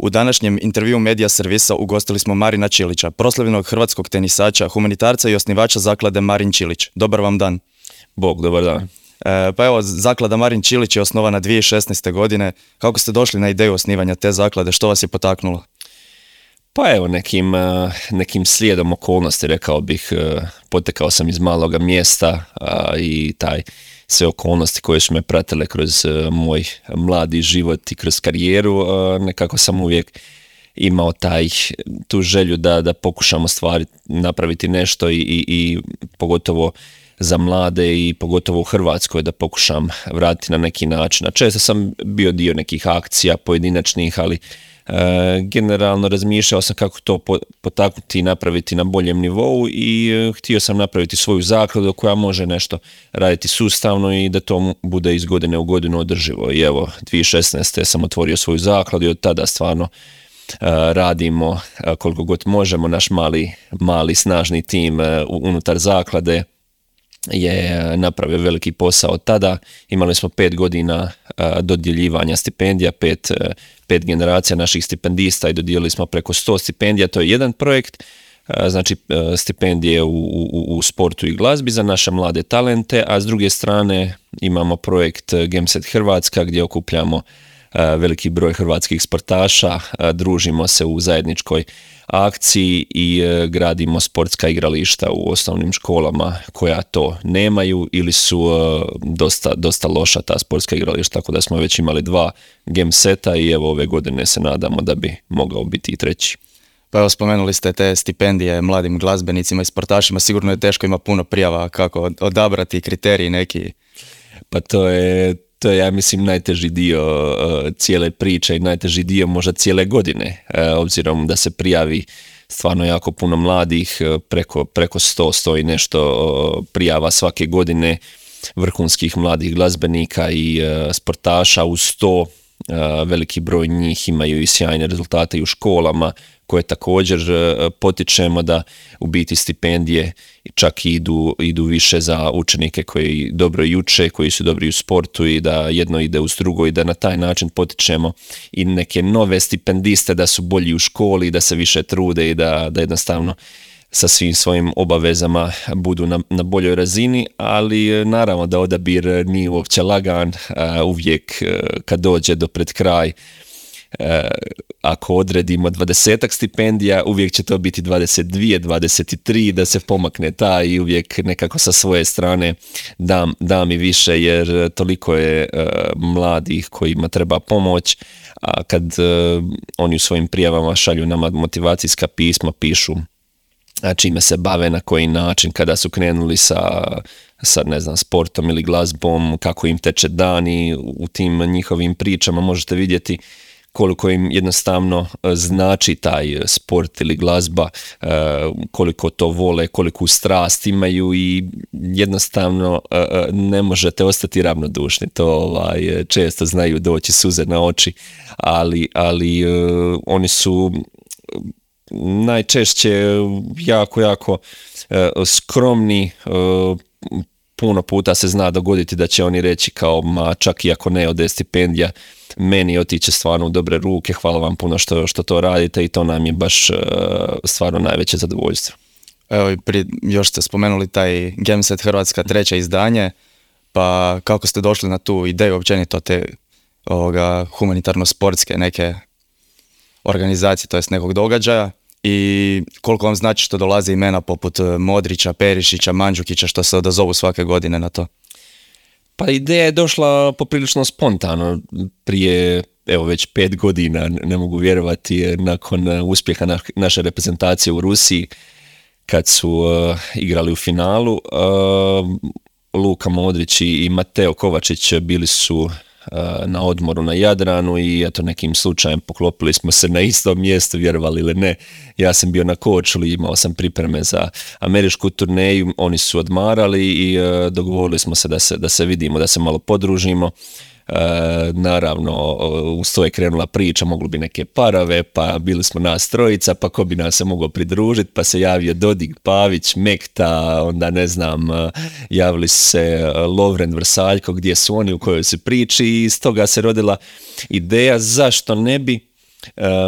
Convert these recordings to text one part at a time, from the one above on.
U današnjem intervjuu Medija servisa ugostili smo Marina Čilića, proslavljenog hrvatskog tenisača, humanitarca i osnivača zaklade Marin Čilić. Dobar vam dan. Bog, dobar dan. Pa evo, zaklada Marin Čilić je osnovana 2016. godine. Kako ste došli na ideju osnivanja te zaklade? Što vas je potaknulo? Pa evo, nekim slijedom okolnosti, rekao bih, potekao sam iz maloga mjesta i sve okolnosti koje su me pratile kroz moj mladi život i kroz karijeru, nekako sam uvijek imao tu želju da pokušamo napraviti nešto i pogotovo za mlade i pogotovo u Hrvatskoj da pokušam vratiti na neki način. A često sam bio dio nekih akcija pojedinačnih, ali generalno razmišljao sam kako to potaknuti i napraviti na boljem nivou i htio sam napraviti svoju zakladu koja može nešto raditi sustavno i da to bude iz godine u godinu održivo. I evo, 2016. sam otvorio svoju zakladu i od tada stvarno radimo koliko god možemo. Naš mali snažni tim unutar zaklade je napravio veliki posao od tada. Imali smo 5 godina dodjeljivanja stipendija, pet generacija naših stipendista i dodijelili smo preko 100 stipendija. To je jedan projekt, znači stipendije u sportu i glazbi za naše mlade talente, a s druge strane imamo projekt Gemset Hrvatska gdje okupljamo veliki broj hrvatskih sportaša, družimo se u zajedničkoj akciji i gradimo sportska igrališta u osnovnim školama koja to nemaju ili su dosta loša ta sportska igrališta, tako da smo već imali 2 Gemseta i evo ove godine se nadamo da bi mogao biti i 3. Pa evo, spomenuli ste te stipendije mladim glazbenicima i sportašima, sigurno je teško, ima puno prijava, kako odabrati kriteriji neki? Pa to je ja mislim najteži dio cijele priče i najteži dio možda cijele godine, obzirom da se prijavi stvarno jako puno mladih, preko 100 i nešto prijava svake godine vrhunskih mladih glazbenika i sportaša. Uz to veliki broj njih imaju i sjajne rezultate i u školama koje također potičemo da u biti stipendije čak idu više za učenike koji dobro uče, koji su dobri u sportu i da jedno ide uz drugo i da na taj način potičemo i neke nove stipendiste da su bolji u školi i da se više trude i da jednostavno sa svim svojim obavezama budu na boljoj razini, ali naravno da odabir nije uopće lagan, uvijek kad dođe do pred kraj, ako odredimo 20 stipendija, uvijek će to biti 22, 23, da se pomakne i uvijek nekako sa svoje strane dam i više, jer toliko je mladih kojima treba pomoć, a kad oni u svojim prijavama šalju nama motivacijska pisma, pišu čime se bave, na koji način, kada su krenuli sa ne znam, sportom ili glazbom, kako im teče dani, u tim njihovim pričama možete vidjeti koliko im jednostavno znači taj sport ili glazba, koliko to vole, koliku strast imaju i jednostavno ne možete ostati ravnodušni. To često znaju doći suze na oči, ali oni su najčešće jako skromni. Puno puta se zna dogoditi da će oni reći kao, ma čak i ako ne ode stipendija, meni otiće stvarno u dobre ruke, hvala vam puno što to radite i to nam je baš stvarno najveće zadovoljstvo. Evo, još ste spomenuli taj Gemset Hrvatska 3. izdanje, pa kako ste došli na tu ideju općenito te humanitarno-sportske neke organizacije, to jest nekog događaja, i koliko vam znači što dolaze imena poput Modrića, Perišića, Mandžukića, što se odazovu svake godine na to? Pa ideja je došla poprilično spontano, prije već 5 godina, ne mogu vjerovati, nakon uspjeha naše reprezentacije u Rusiji, kad su igrali u finalu. Luka Modrić i Mateo Kovačić bili su na odmoru na Jadranu i eto, nekim slučajem poklopili smo se na istom mjestu, vjerovali ili ne. Ja sam bio na Korčuli, imao sam pripreme za američku turneju, oni su odmarali i dogovorili smo se da se vidimo, da se malo podružimo. Naravno, uz to je krenula priča, mogli bi neke parave, pa bili smo nas trojica, pa ko bi nas se mogao pridružiti, pa se javio Dodik, Pavić, Mekta, onda ne znam, javili se Lovren, Vrsaljko, gdje su oni, u kojoj su priči, i iz toga se rodila ideja zašto ne bi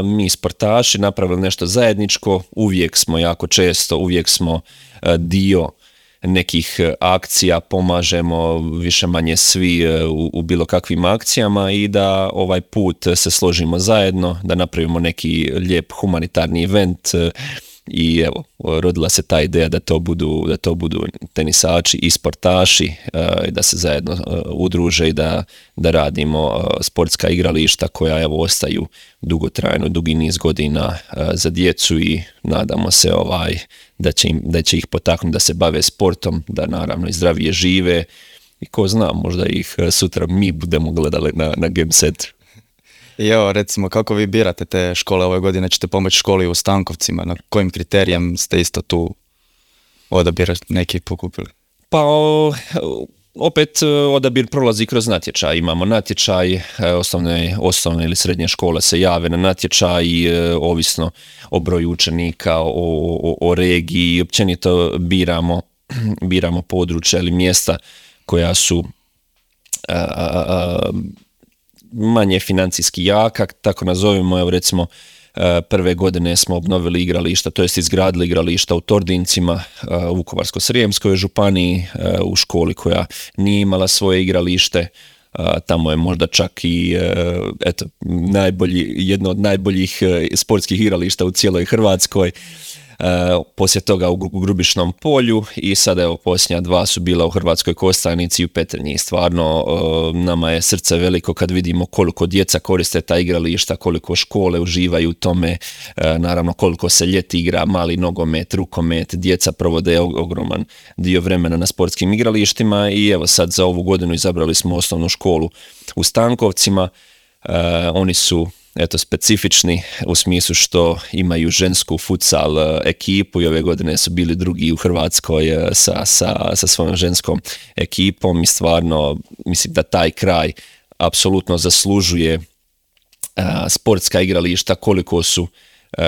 mi sportaši napravili nešto zajedničko, uvijek smo dio nekih akcija, pomažemo više manje svi u bilo kakvim akcijama i da ovaj put se složimo zajedno, da napravimo neki lijep humanitarni event i evo, rodila se ta ideja da to budu tenisači i sportaši, da se zajedno udruže i da radimo sportska igrališta koja evo ostaju dugotrajno, dugi niz godina za djecu i nadamo se da će ih potaknuti da se bave sportom, da naravno i zdravije žive i ko zna, možda ih sutra mi budemo gledali na Game Centru. I evo, recimo, kako vi birate te škole ove godine? Ćete pomoći školi u Stankovcima? Na kojim kriterijem ste isto tu odabir neki pokupili? Pa opet odabir prolazi kroz natječaj. Imamo natječaj, osnovne ili srednje škole se jave na natječaj, ovisno o broju učenika, o regiji, općenito biramo područja ili mjesta koja su manje financijski jaka, tako nazovimo. Evo recimo prve godine smo obnovili igrališta, to jest izgradili igrališta u Tordincima, u Vukovarsko-srijemskoj županiji, u školi koja nije imala svoje igralište. Tamo je možda čak i jedno od najboljih sportskih igrališta u cijeloj Hrvatskoj. Poslije toga u Grubišnom polju i sada evo posljednja dva su bila u Hrvatskoj Kostajnici i u Petrinji. Stvarno nama je srce veliko kad vidimo koliko djeca koriste ta igrališta, koliko škole uživaju u tome, naravno koliko se ljeti igra mali nogomet, rukomet, djeca provode ogroman dio vremena na sportskim igralištima i evo sad za ovu godinu izabrali smo osnovnu školu u Stankovcima. Oni su specifični u smislu što imaju žensku futsal ekipu i ove godine su bili drugi u Hrvatskoj sa svojom ženskom ekipom i stvarno mislim da taj kraj apsolutno zaslužuje sportska igrališta,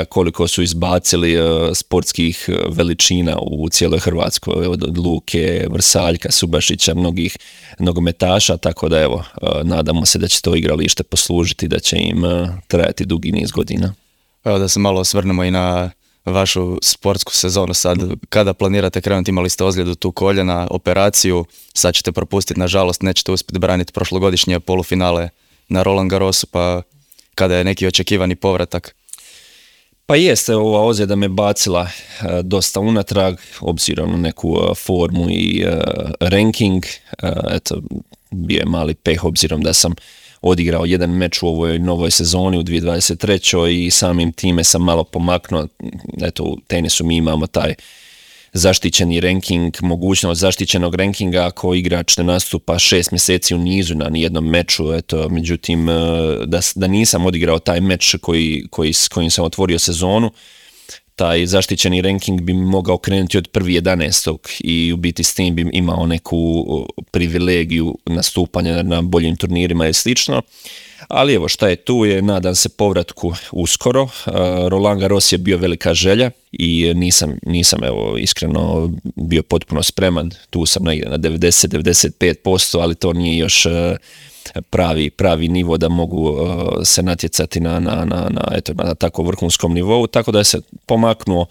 koliko su izbacili sportskih veličina u cijeloj Hrvatskoj, od Luke, Vrsaljka, Subašića, mnogih nogometaša, tako da evo, nadamo se da će to igralište poslužiti, da će im trajati dugi niz godina. Evo da se malo osvrnemo i na vašu sportsku sezonu sad. Kada planirate krenuti? Imali ste ozljedu tu koljena, operaciju, sad ćete propustiti, nažalost, nećete uspjeti braniti prošlogodišnje polufinale na Roland Garrosu, pa kada je neki očekivani povratak? Pa jeste, ova ozljeda me bacila dosta unatrag, obzirom na neku formu i ranking. Eto, bio je mali peh obzirom da sam odigrao jedan meč u ovoj novoj sezoni u 2023. i samim time sam malo pomaknuo. Eto, u tenisu mi imamo taj zaštićeni ranking, mogućnost zaštićenog rankinga ako igrač ne nastupa 6 mjeseci u nizu na nijednom meču. Eto, međutim, da nisam odigrao taj meč s kojim sam otvorio sezonu, taj zaštićeni ranking bi mogao krenuti od 1.11. i u biti s tim bi imao neku privilegiju nastupanja na boljim turnirima i slično. Ali evo, šta je tu je, nadam se povratku uskoro. Roland Garros je bio velika želja i nisam evo iskreno bio potpuno spreman. Tu sam negdje na 90-95%, ali to nije još pravi nivo da mogu se natjecati na tako vrhunskom nivou, tako da se pomaknuo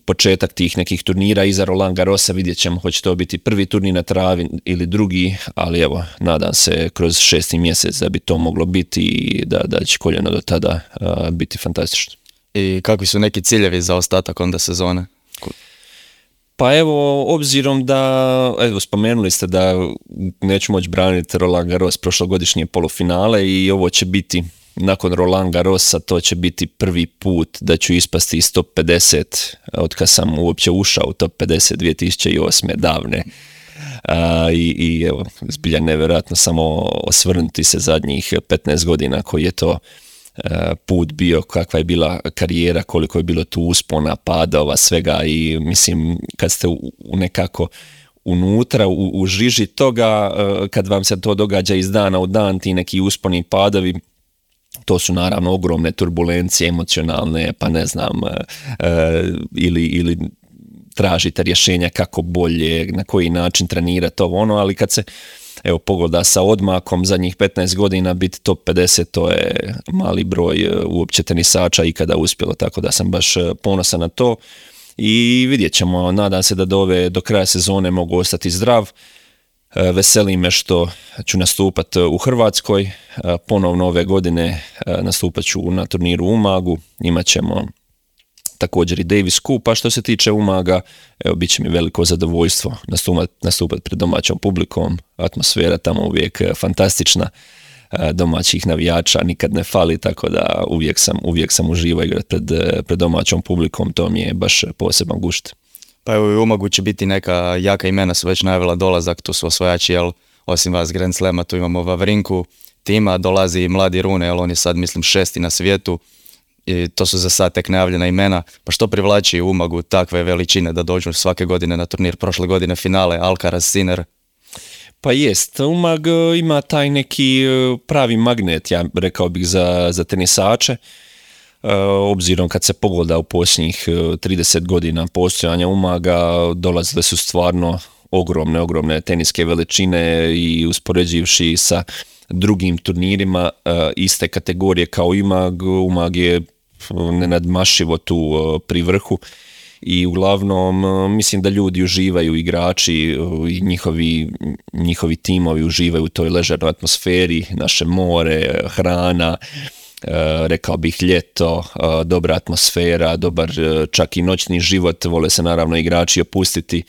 početak tih nekih turnira iza Roland Garrosa. Vidjet ćemo hoće to biti prvi turnir na travi ili drugi, ali evo, nadam se kroz 6. mjesec da bi to moglo biti i da će koljeno do tada biti fantastično. I kakvi su neki ciljevi za ostatak onda sezone? Pa evo, obzirom da, spomenuli ste da neću moći braniti Roland Garros prošlogodišnje polufinale i ovo će biti, nakon Roland Garrosa, to će biti prvi put da ću ispasti iz top 50 od kad sam uopće ušao u top 50 2008. davne. I evo, zbilja nevjerojatno samo osvrnuti se zadnjih 15 godina koji je to put bio, kakva je bila karijera, koliko je bilo tu uspona, padova, svega i mislim kad ste nekako unutra, u žiži toga, kad vam se to događa iz dana u dan, ti neki usponi padovi, to su naravno ogromne turbulencije emocionalne, pa ne znam, ili tražite rješenja kako bolje, na koji način trenirati ovo ono, ali kad se evo pogoda sa odmakom zadnjih 15 godina biti top 50, to je mali broj uopće tenisača ikada uspjelo, tako da sam baš ponosan na to i vidjet ćemo, nadam se da do kraja sezone mogu ostati zdrav. Veseli me što ću nastupati u Hrvatskoj, ponovno ove godine nastupat ću na turniru u Umagu, imat ćemo također i Davis Cup, a što se tiče Umaga, evo, bit će mi veliko zadovoljstvo nastupati pred domaćom publikom, atmosfera tamo uvijek fantastična, domaćih navijača nikad ne fali, tako da uvijek sam uživao igrati pred domaćom publikom, to mi je baš poseban gušt. Pa evo i u Umagu će biti neka jaka imena, su već najavila dolazak, tu su osvajači, jel, osim vas Grand Slema, tu imamo Vavrinku, Tima, dolazi i mladi Rune, jel, on je sad mislim 6. na svijetu, i to su za sad tek najavljena imena. Pa što privlači u Umagu takve veličine da dođu svake godine na turnir, prošle godine finale, Alcaraz, Sinner? Pa jest, Umag ima taj neki pravi magnet, ja rekao bih, za tenisače. Obzirom kad se pogleda u posljednjih 30 godina postojanja Umaga, dolazile su stvarno ogromne teniske veličine i uspoređivši sa drugim turnirima iste kategorije kao Umag je nenadmašivo tu pri vrhu i uglavnom mislim da ljudi uživaju, igrači i njihovi timovi uživaju u toj ležernoj atmosferi, naše more, hrana, rekao bih ljeto, dobra atmosfera, dobar čak i noćni život, vole se naravno igrači opustiti,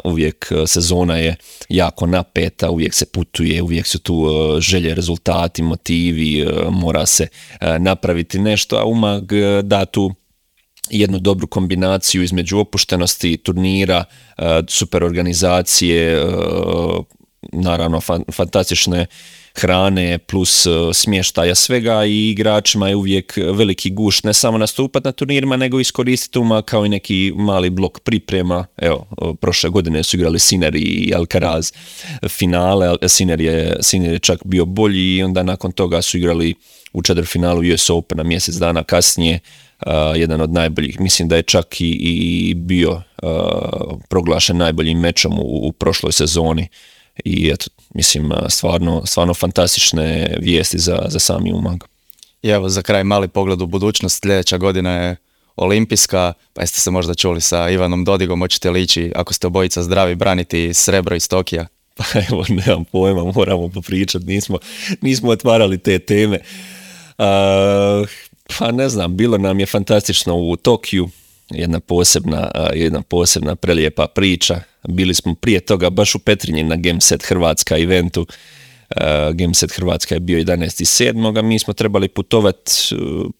uvijek sezona je jako napeta, uvijek se putuje, uvijek su tu želje, rezultati, motivi, mora se napraviti nešto, a Umag da tu jednu dobru kombinaciju između opuštenosti turnira, super organizacije, naravno fantastične hrane plus smještaja svega i igračima je uvijek veliki gušt ne samo nastupati na turnirima nego iskoristiti Umag kao i neki mali blok priprema. Evo, prošle godine su igrali Sinner i Alcaraz finale, Sinner je čak bio bolji i onda nakon toga su igrali u četvrtfinalu US Opena mjesec dana kasnije, jedan od najboljih, mislim da je čak i bio proglašen najboljim mečom u prošloj sezoni. I eto, mislim, stvarno fantastične vijesti za sami Umag. I evo za kraj mali pogled u budućnost, sljedeća godina je olimpijska, pa jeste se možda čuli sa Ivanom Dodigom, hoćete li ići, ako ste obojica zdravi, braniti srebro iz Tokija? Pa evo, nemam pojma, moramo popričati, nismo otvarali te teme. Pa ne znam, bilo nam je fantastično u Tokiju, jedna posebna prelijepa priča. Bili smo prije toga baš u Petrinji na Gameset Hrvatska eventu. Gameset Hrvatska je bio 11.7. a mi smo trebali putovati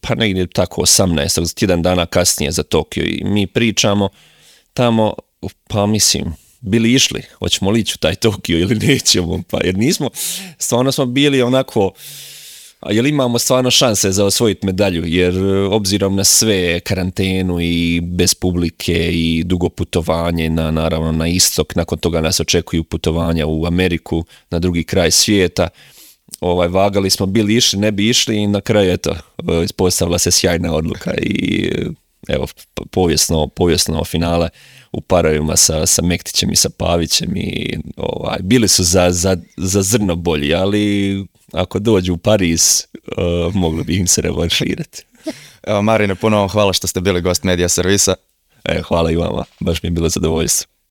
pa negdje tako 18. tjedan dana kasnije za Tokio i mi pričamo tamo, pa mislim, bili išli, hoćemo li ići u taj Tokio ili nećemo, pa jer nismo, stvarno smo bili onako, a jel imamo stvarno šanse za osvojiti medalju, jer obzirom na sve karantenu i bez publike i dugo putovanje naravno na istok, nakon toga nas očekuju putovanja u Ameriku, na drugi kraj svijeta, vagali smo, bili išli, ne bi išli i na kraju eto, ispostavila se sjajna odluka i evo, povijesno finale u parovima sa Mektićem i sa Pavićem i bili su za zrno bolji, ali ako dođu u Pariz, mogli bi im se revanširati. Evo Marine, puno vam hvala što ste bili gost Medija servisa. Hvala i vama, baš mi je bilo zadovoljstvo.